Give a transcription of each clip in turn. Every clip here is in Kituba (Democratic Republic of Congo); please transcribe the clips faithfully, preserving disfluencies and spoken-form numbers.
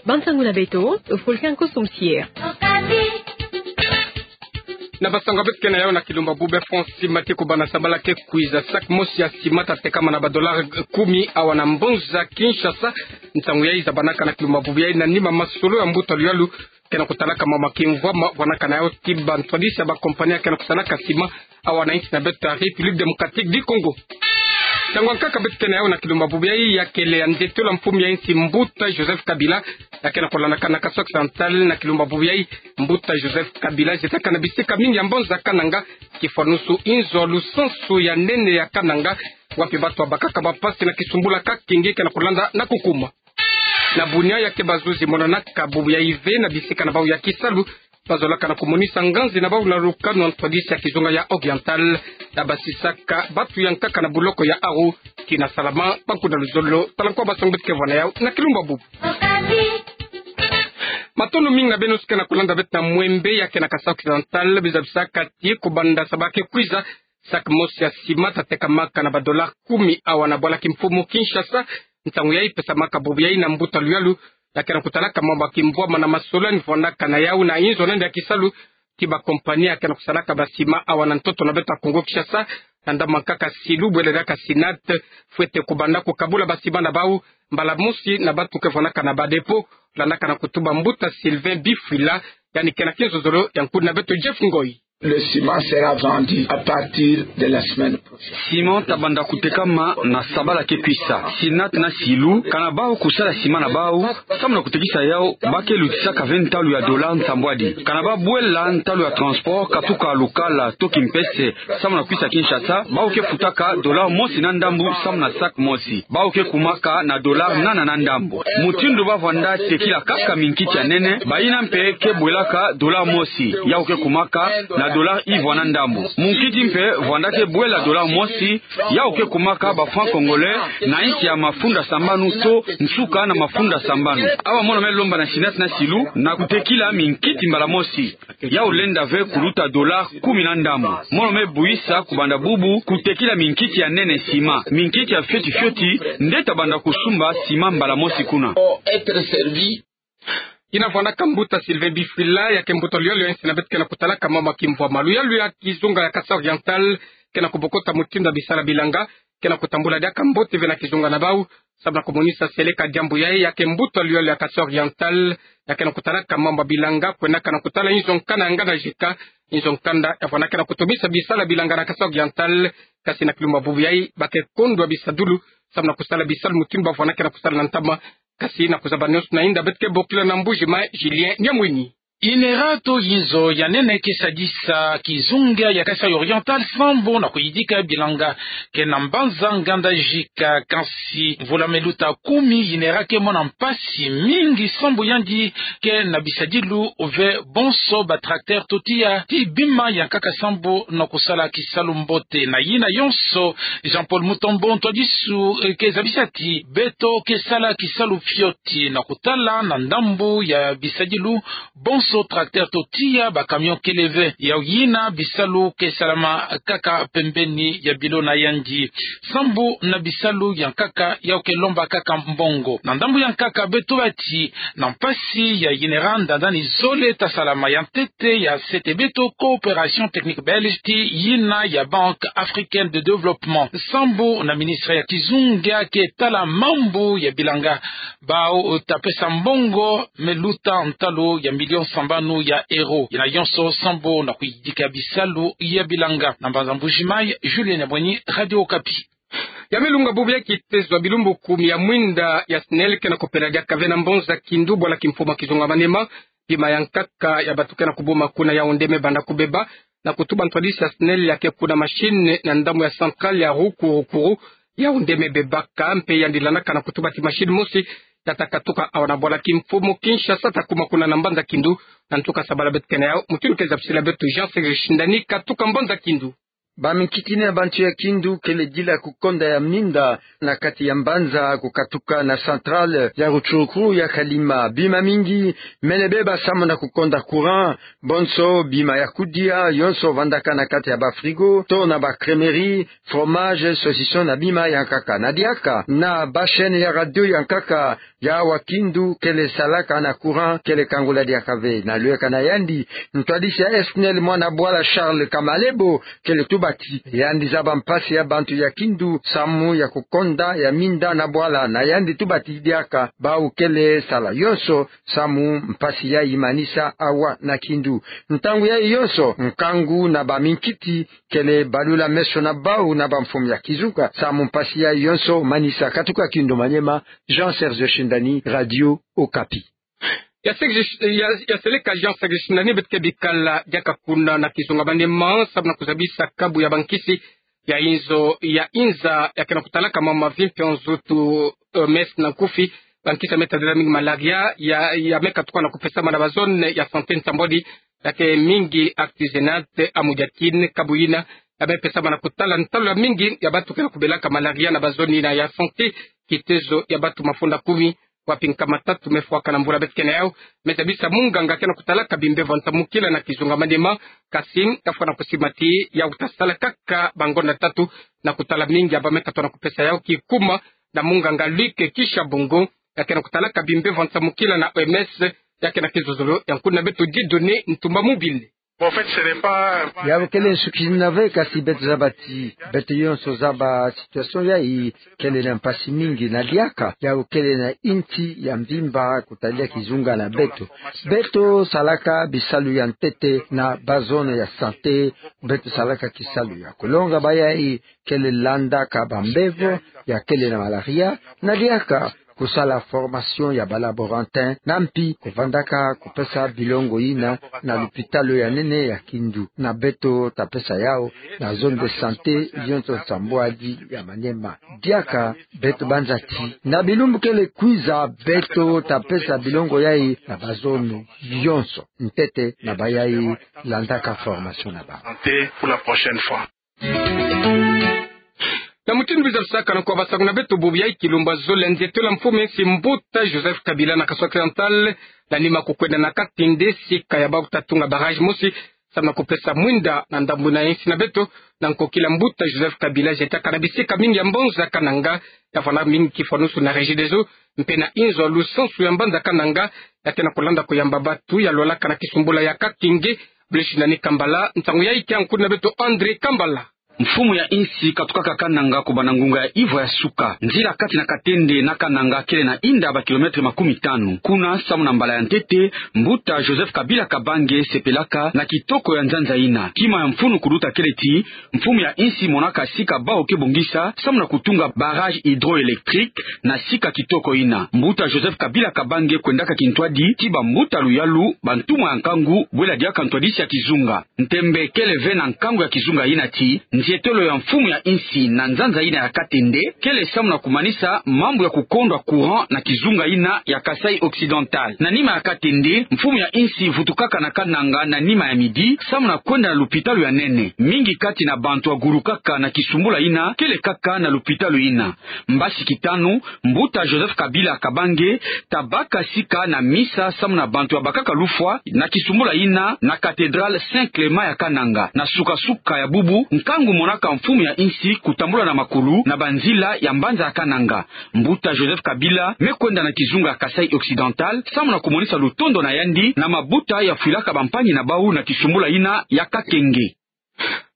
Bansangu na beto, Fulgence Nkosi Msier. Na bansangu ya beto ke na yau na kilumbu bubu ya France, tima ti kubanda sabala ke kwiza, sac mosi ya sima ta tekama na ba dollars kumi awa na mbonza Kinshasa. Nsangu yayi zabanaka na kilumbu bubu yayi na nima masolo ya mbuta luyalu ke na kutalaka mama kimvwama vwanaka na yau ti bantwadisi ya ba compagnie ya ke na kusalaka sima awa na insi na beto ya République Démocratique du Congo. Nsangu ya nkaka beto ke na yau na kilumbu bubu yayi ya kele ya ndetolo ya mfumu ya insi mbuta Joseph Kabila ya ke na kulandaka na Kasai Occidental. Na kilumbu bubu yayi, mbuta Joseph Kabila azetaka na bisika mingi ya mbonza Kananga, kifwanusu inzo lusansu ya nene ya Kananga, wapi bato babakaka bampasi na kisumbula ka kingi ke na kulanda na kukuma. Na bunia ya ke bazuzi monanaka bubu yayi ve na bisika na bau ya kisalu, bazolaka na kumonisa nganzi na bau na lukanu ya ntwadisi ya kizunga ya Oriental, na basisaka bato ya nkaka na buloko ya Aru, tina salama, banku na luzolo. Tala nkwa bansangu beto ke vwa na yau na kilumbu bubu. Matondo mingi na beno si ke na kulanda beto na Mwembe ya ke na Kasai Occidental. Beno zabisaka ti kubanda sabala ke kwiza, sac mosi ya sima ta tekamaka na ba dollars kumi awa na bwala kimfumu Kinshasa. Nsangu yayi pesamaka bubu yayi na mbuta luyalu ya ke na kutalaka mama kimvwama na masolo yandi vwanaka na yau na inzo na yandi ya kisalu ti ba compagnie ya ke na kusalaka ba sima awa na ntoto na beto ya Kongo Kinshasa, na ndambu ya nkaka Silu bwele diaka SINAT, fwete kubanda kukabula ba sima na bau mbala mosi na bato ke vwanaka na ba dépôt, landaka na kutuba mbuta Sylvain Bifwila, yandi ke na kinzonzolo ya nkundi na beto Jeff Ngoy. Le ciment sera vendu à partir de la semaine prochaine. Ciment ta banda kutekama na sabala ke kwisa. SINAT na Silu, kana bau kusala ciment na bau, samu na kutekisa yau, ba ke lutisaka ve ntalu ya dollars nsambwadi. Kana ba bwela ntalu ya transport katuka Lukala to Kimpese samu na kwisa Kinshasa, bau ke futaka dollars mosi na ndambu samu na sac mosi. Bau ke kumaka na dollars nana na ndambu. Mutindu ba vwanda tekila kaka minkiti ya nene, bayina mpe ke bwelaka dollars mosi, yau ke kumaka na dollars ivwa na ndambu. Munkiti mpe vwanda ke bwela dollars mosi, yau ke kumaka ba francs congolais na insi ya mafunda sambanu to nsuka na mafunda sambanu. Awa mono me lomba na SINAT na Silu na kutekila minkiti mbala mosi. Yau lenda ve kuluta dollars kumi na ndambu. Mono me buyisa kubanda bubu kutekila minkiti ya nene ciment. Minkiti ya fioti fioti nde ta banda kusumba ciment mbala mosi kuna. Yina vwandaka mbuta Sylvain Bifwila, ya ke mbuta luyalu ya insi na beto ke na kutalaka mama kimvwama. Luyalu ya kizunga ya Kasai Oriental ke na kubokota mutindu ya bisala bilanga ke na kutambula diaka mbote ve na kizunga na bau, samu na kumonisa seleka diambu yayi, ya ke mbuta luyalu ya Kasai Oriental ya ke na kutalaka mama bilanga, kwendaka na kutala inzo nkanda ya nganda jika, inzo nkanda ya vwandaka na kutomisa bisala bilanga na Kasai Oriental. Kasi na kilumbu bubu yayi ba ke kondwa bisadulu samu na kusala bisalu mutindu ba vwandaka na kusala na ntama. Kasi na kuzaba nyonso na inda, beto ke bokila na Mbuji-Mayi, Julien Nyamwini. INERA to inzo ya nene ke sadisa kizunga ya Kasai Oriental sambu na kuyidika bilanga ke na mbanza nganda jika. Kansi mvula me luta kumi, INERA ke mona mpasi mingi sambu yandi ke na bisadilu ve bonso ba tracteur to tiya ti bima ya nkaka sambu na kusala kisalu mbote. Na yina yonso, Jean-Paul Mutombo, ntwadisu, eh, ke zabisa ti beto ke sala kisalu fioti na kutala na ndambu ya bisadilu, bonso tracteur to tiya ba camion kele ve. Yau yina bisalu ke salama kaka pembeni ya bilo na yandi. Sambu na bisalu ya nkaka yau ke lomba kaka mbongo. Na ndambu ya nkaka beto bati na mpasi ya INERA, ndandani zole ta salama, ya ntete ya sete beto coopération technique belge ti yina ya Banque Africaine de Développement. Sambu na ministre ya kizunga ke tala mambu ya bilanga, bau ta pesa mbongo me luta ntalu ya million sambanu ya euro. Yina yonso sambu na kuyidika bisalu ya bilanga. Na mbanza Mbuji-Mayi, Julien Nyamwini, Radio Okapi. Ya me lunga bubu ya kitezo ya bilumbu kumi ya mwinda ya SNEL ke na kupela diaka ve na mbanza Kindu, bwala kimfumu ya kizunga Maniema. Bima ya nkaka ya bato ke na kubuma kuna yau nde me banda kubeba, na kutuba ntwadisi ya SNEL ya ke kuna machine na ndambu ya centrale ya Rukuru-Kuru, yau nde me bebaka. Mpe yandi landaka na kutuba ti machine mosi ya ta katuka awa na bwala kimfumu Kinshasa, ta kuma kuna na mbanza Kindu. Na ntuka sabala beto ke na yau, mutindu ke zabisila beto Jean Serge Shindani katuka mbanza Kindu. Baminkiti na bantu ya Kindu kele dila kukonda ya minda na kati ya mbanza kukatuka na centrale ya Rutshuru ya Kalima. Bima mingi mele beba samu na kukonda courant, bonso bima ya kudia yonso vandaka na kati ya ba frigo to na ba crèmerie, fromage, saucisson na bima ya nkaka. Na diaka na ba chaîne ya radio ya nkaka ya awa Kindu kele salaka na courant kele kangula diaka ve. Na lweka na yandi, ntwadisi ya SNEL mwana bwala Charles Kamalebo kele tuba ti yandi zaba mpasi ya bantu ya Kindu samu ya kukonda ya minda na bwala. Na yandi tuba ti diaka bawu kele sala yonso samu mpasi yayi manisa awa na Kindu. Ntangu yayi yonso, nkangu na baminkiti kele balula meso na bawu na bamfumu ya kizunga samu mpasi yayi yonso manisa. Katuka Kindu Maniema, Jean Serge Shindani, Radio Okapi. Ya Serge, ya, ya seleka Jean Serge Shindani, beto ke bikala diaka kuna na kizunga Maniema samu na kuzabisa kabu ya bankisi ya inzo ya inza ya ke na kutalaka mama vimpi nzutu, eh, mes na nkufi. Bankisi ya me tadila mingi malaria ya, ya me katuka na kupesama na ba zone ya santé nsambwadi ya ke mingi artisanat amu diakine kabu yina ya me pesama na kutala ntalu ya mingi ya bantu ke na kubelaka malaria na ba zone yina ya santé. Kitezo ya bantu mafunda kumi wapi nkama tatu me fwaka na mbula beto ke na yau, me zabisa munganga ke na kutalaka bimbevo nsamukila na kizunga Maniema, kasi kafwa na kusima ti yau ta sala kaka bangonda tatu na kutala mingi ya ba me katuka na kupesa yau, kikuma na munganga Luc Kishabungu ya ke na kutalaka bimbevo nsamukila na O M S, ya ke na kizozolo ya nkuna beto Dieudonné Ntumba Mobile. Yau kele nsukina ve, kasi beto zaba ti beto yonso zaba situation yayi kele na mpasi mingi. Na diaka yau kele na insi ya mvimba kutadila kizunga na beto. Beto salaka bisalu ya ntete na ba zone ya santé, beto salaka kisalu ya kulonga bayayi kele landaka bambevo ya kele na malaria, na diaka kusala formation ya ba laborantin, na mpi kuvandaka kupesa bilongo yina na lupitalu ya nene ya Kindu. Na beto ta pesa yau na zone de santé yonso nsambwadi ya Maniema. Diaka beto banza ti na bilumbu kele kwiza beto ta pesa bilongo yayi na ba zone yonso, ntete na bayayi landaka formation na ba. Na mutindu biza lusaka na kwa basango na beto bubu yayi, kilumbu ya zole nzietolo ya mfumu ya insi mbuta Joseph Kabila na Kasai Occidental, na nima kukwenda na Katende, sika ya bawu ta tunga barrage mosi samu na kupesa mwinda na ndambu yina ya insi na beto. Na nkokila mbuta Joseph Kabila zietaka na bisika mingi ya mbanza Kananga, ya fwana mingi kifwanusu na Regideso mpe na inzo ya lusansu ya mbanza Kananga, ya ke na kulanda kuyamba bantu ya lwalaka na kisumbula ya Kakenge. Blush na ni Kambala, nsangu yayi kia nkuna beto André Kambala. Mfumu ya insi katukaka Kananga kubanda ngunga ya ivwa ya suka. Nzila kati na Katende na Kananga kele na inda ba kilomètre makumi tanu. Kuna, samu na mbala ya ntete, mbuta Joseph Kabila Kabange sepelaka na kitoko ya nzanza yina. Kima ya mfunu kuluta kele ti mfumu ya insi monaka sika bawu ke bongisa samu na kutunga barrage hydroélectrique na sika kitoko yina. Mbuta Joseph Kabila Kabange kwendaka kintwadi ti bambuta luyalu, bantumwa ya nkangu, bwela diaka ntwadisi ya kizunga. Ntembe kele ve na nkangu ya kizunga yina ti nzietolo ya mfumu ya insi na nzanza yina ya Katende kele samu na kumanisa mambu ya kukondwa courant na kizunga yina ya Kasaï Occidental. Na nima ya Katende, mfumu ya insi vutukaka na Kananga na nima ya midi samu na kwenda na lupitalu ya nene. Mingi kati na bantu ya gulukaka na kisumbula yina kele kaka na lupitalu yina. Mbasi kitanu, mbuta Joseph Kabila Kabange ta baka sika na misa samu na bantu ya bakaka lufwa na kisumbula yina na cathédrale Saint Clément ya Kananga. Na suka-suka ya bubu, nkangu monaka mfumu ya insi kutambula na makulu na banzila ya mbanza ya Kananga. Mbuta Joseph Kabila me kwenda na kizunga ya Kasaï Occidental samu na kumonisa lutondo na yandi na mabuta ya fwilaka bampangi na bawu na kisumbula yina ya Kakenge.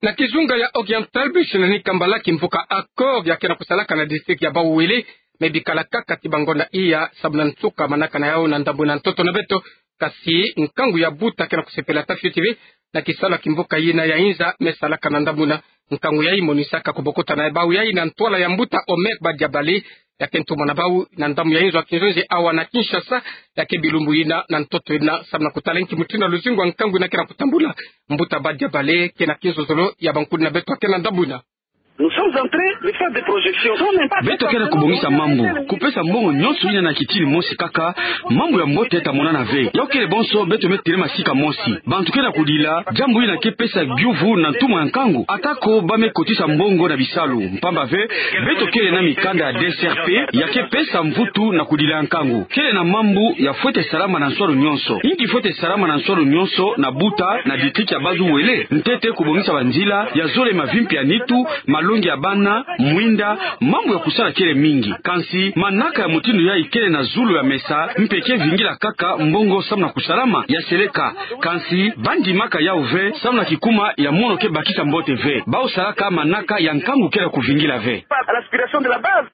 Na kizunga ya Oriental, bisi na ni Kambala, kimvuka Accord ya ke na kusalaka na district ya Bas-Uele me bikala kaka ti bangonda iya samu na nsuka manaka na yawu na ndambu na ntoto na beto. Kasi nkangu ya buta ke na kusepela ta fioti ve na kisalu ya kimvuka yina ya inza me salaka na ndambu yina. Nkangu yayi monisaka kubokota na bawu yayi na ntwala ya mbuta Omer Badiabale, ya ke ntumwa na bawu na ndambu ya inzo ya kinzonzi awa na Kinshasa, ya ke bilumbu yina na ntoto yina samu na kutala nki mutindu ya luzingu ya nkangu yina ke na kutambula. Mbuta Badiabale ke na kizozolo ya bankuni na beto ya ke na ndambu yina. Nous sommes en train de faire des projections. Beto kele na kubongisa mambu, kupesa mbongo nyonso yina na kitini mosi kaka, mambu ya mbote ta monana ve. Yau kele bonso beto me telema sika mosi. Bantu kele na kudila, diambu yina ke pesa giuvu na ntumwa ya nkangu, atako ba me kotisa mbongo na bisalu. Mpamba ve, beto kele na mikanda ya D C R P, ya ke pesa mvutu na kudila ya nkangu. Kele na mambu ya fwete salama na nswalu nyonso. Inki fwete salama na nswalu nyonso na Buta, na district ya Bas-Uele? Ntete kubongisa banzila, ya zola mavimpi ya nitu, malongi ya bana, mwinda, mambu ya kusala kele mingi. Kansi, manaka ya mutindu yayi kele na zulu ya mesa, mpe ke vingila kaka mbongo samu na kusalama, ya seleka. Kansi, ba ndimaka yau ve, samu na kikuma ya mono ke bakisa mbote ve. Bau salaka manaka ya nkangu kele kuvingila ve. À l'aspiration de la base.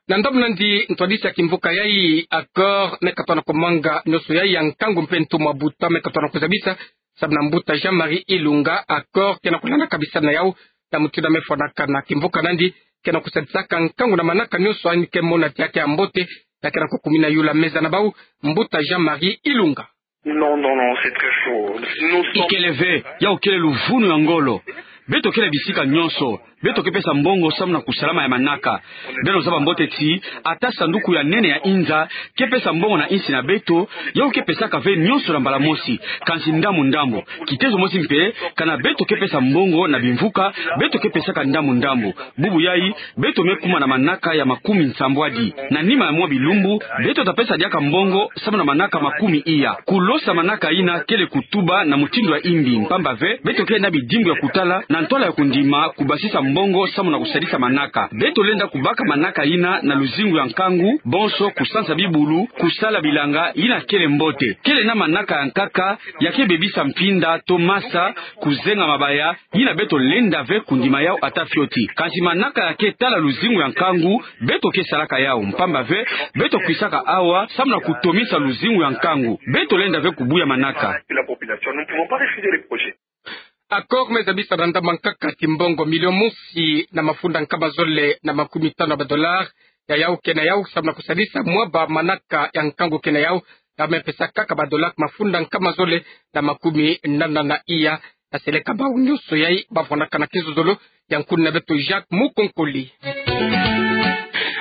Na ndambu nandi ntwadisi ya kimvuka yayi, Accord, me katona kumanga nioso yayi ya nkangu mpe ntumwa Buta me katona kuzabisa, samu na mbuta Jean-Marie Ilunga, Accord ke na kulanda kabisa na yau, na mutindu me fwanaka na kimvuka nandi, ke na kusadisaka nkangu na manaka nioso yandi ke mona ti ya ke ya mbote, ya ke na kukumina yula meza na bau, mbuta Jean-Marie Ilunga. Non, non, non, c'est très faux. Nous sommes... Ikele ve, yau kele luvunu ya ngolo. Beto kele bisika nyonso. Beto ke pesa mbongo samu na kusalama ya manaka. Beno zaba mbote ti, ata sanduku ya nene ya inza, ke pesa mbongo na insi na beto, yau ke pesaka ve nyonso na mbala mosi. Kansi ndambu ndambu. Kitezo mosi mpe, kana beto ke pesa mbongo na bimvuka, beto ke pesaka ndambu ndambu. Bubu yayi, beto me kuma na manaka ya makumi nsambwadi. Na nima ya mwa bilumbu, beto ta pesa diaka mbongo samu na manaka makumi iya. Kulosa manaka yina kele kutuba na mutindu ya imbi, mpamba ve, beto kele na bidimbu ya kutala, na ntwala ya kundima, kubasisa mbongo samu na kusadisa manaka. Beto lenda kubaka manaka yina na luzingu ya nkangu, bonso kusansa bibulu, kusala bilanga, yina kele mbote. Kele na manaka ya nkaka, ya ke bebisa mpinda, to masa, kuzenga mabaya, yina beto lenda ve kundima yau ata fioti. Kansi manaka ya ke tala luzingu ya nkangu, beto ke salaka yau. Mpamba ve, beto kwisaka awa, samu na kutomisa luzingu ya nkangu. Beto lenda ve kubuya manaka. La population, nous ne pouvons pas refuser les projets. Accord me zabisa na ndambu ya nkaka ti mbongo milion mosi na mafunda nkama zole na makumi tanu ya ba dollars, ya yau ke na yau, samu na kusadisa mwa ba manaka ya nkangu ke na yau, ya me pesa kaka ba dollars mafunda nkama zole na makumi nana na iya, ya seleka bau nioso yayi ba fwanaka na kizozolo ya nkuni na beto Jacques Mukonkole.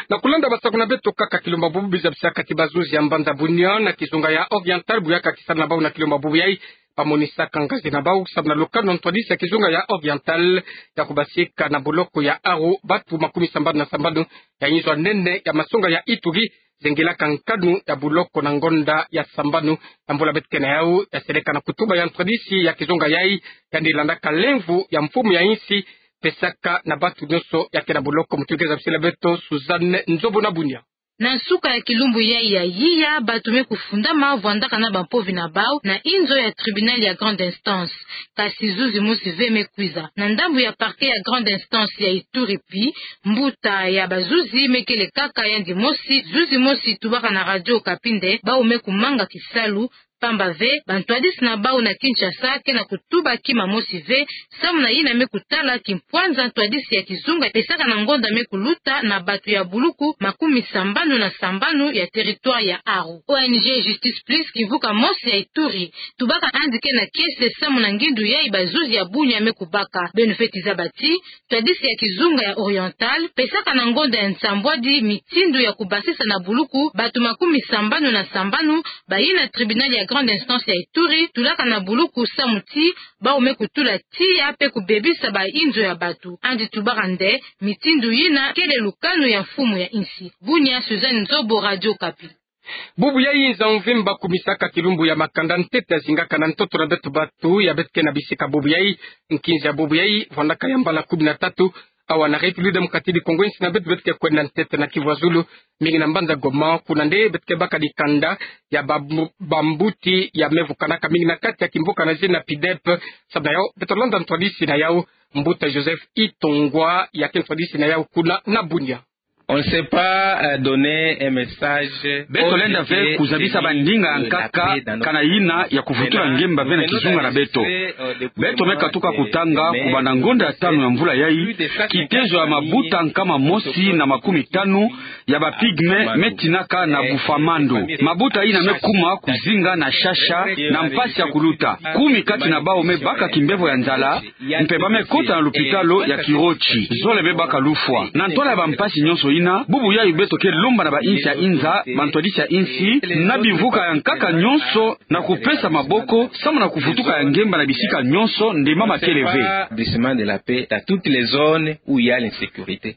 Na kulanda ba saku na beto kaka kilumbu bubu, biza bisaka ti bazuzi ya mbanza Bunia na kizunga ya Oriental, bu ya kakisana na bau na kilumbu bubu yayi, ba monisaka ngazi na bau, samu na lukanu ya ntwadisi ya kizunga ya Oriental, ya kubasika na boloko ya Aru batu makumi sambanu na sambanu ya inzo ya nene ya masonga ya Ituri, zengelaka nkanu ya boloko na ngonda ya sambanu na mbula beto ke na yau, ya seleka na kutuba ya ntwadisi ya kizunga yayi, yandi landaka lemvo ya mfumu ya insi, pesaka na batu nionso ya ke na boloko. Mutu ke zabisila beto Suzanne Nzobo na Bunia. Na nsuka ya kilumbu yayi ya iya, batu me kufundama vwandaka na bampovi na bau na inzo ya tribunal ya grande instance. Kasi zuzi mosi ve me kwiza. Na ndambu ya parquet ya grande instance ya Ituri pi, mbuta ya bazuzi me kele kaka yandi mosi, zuzi mosi tubaka na Radio Okapi nde bau me kumanga kisalu, mpamba ve, bantwadisi na bau na Kinshasa ke na kutuba kima mosi ve, samu na yina me kutala kimpwanza ntwadisi ya kizunga pesaka na ngonda me kuluta na batu ya buluku makumi sambanu na sambanu ya territoire ya Aru. O N G Justice Plus, kimvuka mosi ya Ituri, tubaka yandi ke na kiese samu na ngindu yayi bazuzi ya Bunia me kubaka. Beno fweti zaba ti, ntwadisi ya kizunga ya Oriental pesaka na ngonda ya nsambwadi mitindu ya kubasisa na buluku batu makumi sambanu na sambanu bayina tribunal ya grande instance ya Ituri tulaka na buluku samu ti bau me kutula tiya pe kubebisa ba inzo ya batu. Yandi tubaka nde mitindu yina kele lukanu ya mfumu ya insi. Bunia, Suzanne Nzobo, Radio Okapi. Bubu yayi nza mvimba kumisaka kilumbu ya makanda ntete ya zingaka na ntoto na beto batu ya beto ke na bisika bubu yayi. Nkinzi ya bubu yayi vwandaka ya mbala kumi na tatu awa na République Démocratique du Congo, insi na beto beto ke kwenda ntete na Kivu ya Zulu, mingi na mbanza Goma, kuna nde beto ke baka dikanda ya bambu-, bambuti ya me vukanaka mingi na kati ya kimvuka na zina PIDEP. Samu na yau, beto landa ntwadisi na yau, mbuta Joseph Itongwa, ya ke ntwadisi na yau kuna na Bunia. On ne sait pas, euh, donner un message. Beto lenda ve kuzabisa bandinga ya nkaka kana yina ya kuvutula ngemba ve na kizunga na beto. Beto me katuka kutanga kubanda ngonda ya tanu ya mvula yayi, kitezo ya mabuta nkama mosi na makumi tanu ya ba pygmées me tinaka na Bufamando. Mabuta yina me kuma kuzinga na shasha na mpasi ya kuluta. Kumi kati na bawu me baka kimbevo ya nzala, mpe ba me kota na lupitalo ya Kirochi. Zole me baka lufwa. Na ntwala ya bampasi nyonso yina, bubu yayi beto ke lomba na ba insi ya inza, bantwadisi ya insi, na bimvuka ya nkaka nyonso, na kupesa maboko, samu na kuvutuka ya ngemba na bisika nyonso, nde mama kele ve. Établissement de la paix dans toutes les zones où il y a l'insécurité.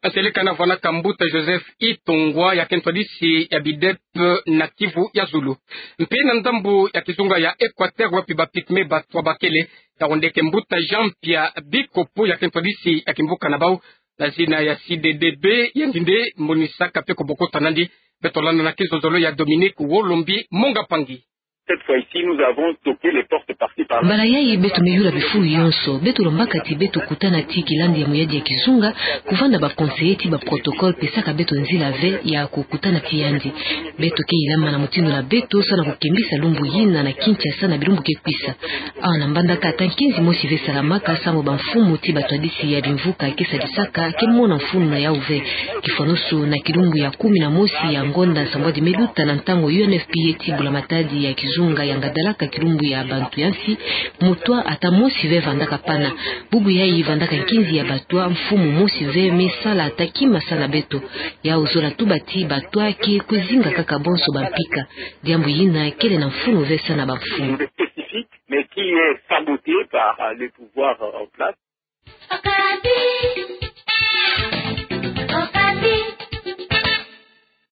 Aseleka na vwanaka mbuta Joseph Itongwa ya ke ntwadisi ya bidep na Kivu ya zulu. Mpe na ndambu ya kizunga ya Equateur wapi ba pygmées batwa bakele, tawondeke mbuta Jean Pierre Bikopo ya ke ntwadisi ya kimvuka na bawu, na zina ya C D D B, yandi nde monisaka mpe kobokota nandi. Beto landa na kizololo ya Dominique Wolombi Monga Pangi. Cette fois-ci, nous avons toqué les portes parties par là. Mbala yayi beto me yula bifulu yonso. Beto lombaka ti beto kutana ti kilandi ya muyadi ya kizunga, kuvanda ba conseillers ti ba protocoles, pesaka beto nzila ve ya kukutana ti yandi. Beto ke yilama na mutindu na beto, samu na kukembisa lumbu yina na Kinshasa na bilumbu ke kwisa. Awa na Mbandaka ata nkinzi mosi ve salamaka, samu bamfumu ti batwadisi ya bimvuka ke sadisaka ke mona mfunu na yawu ve. Kifwanusu na kilumbu ya kumi na mosi ya ngonda nsambwadi me luta, na ntangu U N F P A ti mbula matadi ya kizunga yangadalaka kilumbu ya bantu ya nsi, mutwa ata mosi ve vandaka pana. Bubu yayi vandaka nkinzi ya batwa, mfumu mosi ve me sala ata kima samu na beto. Yawu zola tuba ti batwa ke kwizinga kaka bonso bampika. Diambu yina kele na mfunu ve samu na bamfumu. Spécifique, mais qui est saboté par, euh, les pouvoirs, euh, en place.